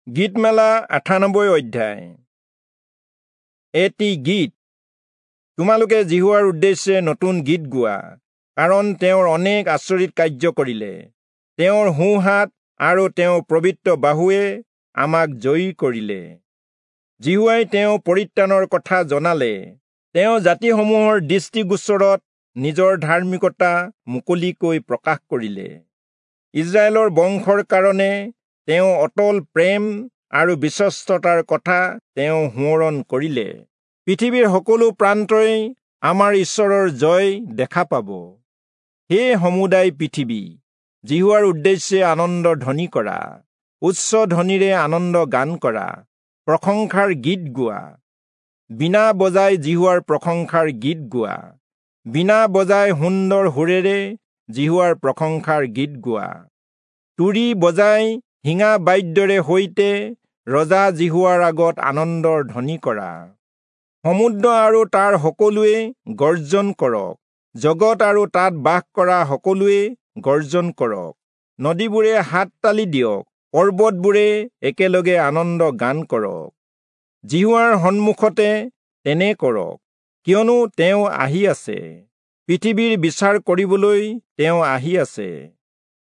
গীতমালা 98 অধ্যায়। এটি গীত। তোমালোকে যিহোৱাৰ উদ্দেশ্যে নতুন গীত গোৱা, কাৰণ তেওঁৰ অনেক আচৰিত কাৰ্য কৰিলে। তেওঁৰ সোঁহাত আৰু তেওঁৰ পবিত্ৰ বাহুৱে আমাক জয়ী কৰিলে। যিহোৱাই তেওঁ পৰিত্ৰাণৰ কথা জনালে। তেওঁ জাতিসমূহৰ দৃষ্টিগোচৰত নিজৰ ধাৰ্মিকতা মুকলিকৈ প্ৰকাশ কৰিলে। ইজৰাইলৰ বংশৰ কাৰণে তেওঁ অটল প্ৰেম আৰু বিশ্বস্ততাৰ কথা তেওঁ সোঁৱৰণ কৰিলে। পৃথিৱীৰ সকলো প্ৰান্তই আমাৰ ঈশ্বৰৰ জয় দেখা পাব। হে সমুদায় পৃথিৱী, যিহোৱাৰ উদ্দেশ্যে আনন্দ ধ্বনি কৰা, উচ্চ ধ্বনিৰে আনন্দ গান কৰা, প্ৰশংসাৰ গীত গোৱা। বীণা বজাই যিহোৱাৰ প্ৰশংসাৰ গীত গোৱা, বীণা বজাই সুন্দৰ সুৰেৰে যিহোৱাৰ প্ৰশংসাৰ গীত গোৱা। তুৰী বজাই শিঙা বাদ্যৰে সৈতে ৰজা যিহোৱাৰ আগত আনন্দৰ ধ্বনি কৰা। সমুদ্ৰ আৰু তাৰ সকলোৱে গৰ্জন কৰক, জগত আৰু তাত বাস কৰা সকলোৱে গৰ্জন কৰক। নদীবোৰে হাত তালি দিয়ক, পৰ্বতবোৰে একেলগে আনন্দ গান কৰক। যিহোৱাৰ সন্মুখতে তেনে কৰক, কিয়নো তেওঁ আহি আছে। পৃথিৱীৰ বিচাৰ কৰিবলৈ তেওঁ আহি আছে।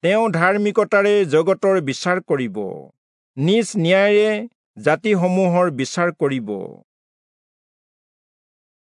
তেওঁ ধাৰ্মিকতাৰে জগতৰ বিচাৰ কৰিব, নিজ ন্যায়েৰে জাতিসমূহৰ বিচাৰ কৰিব।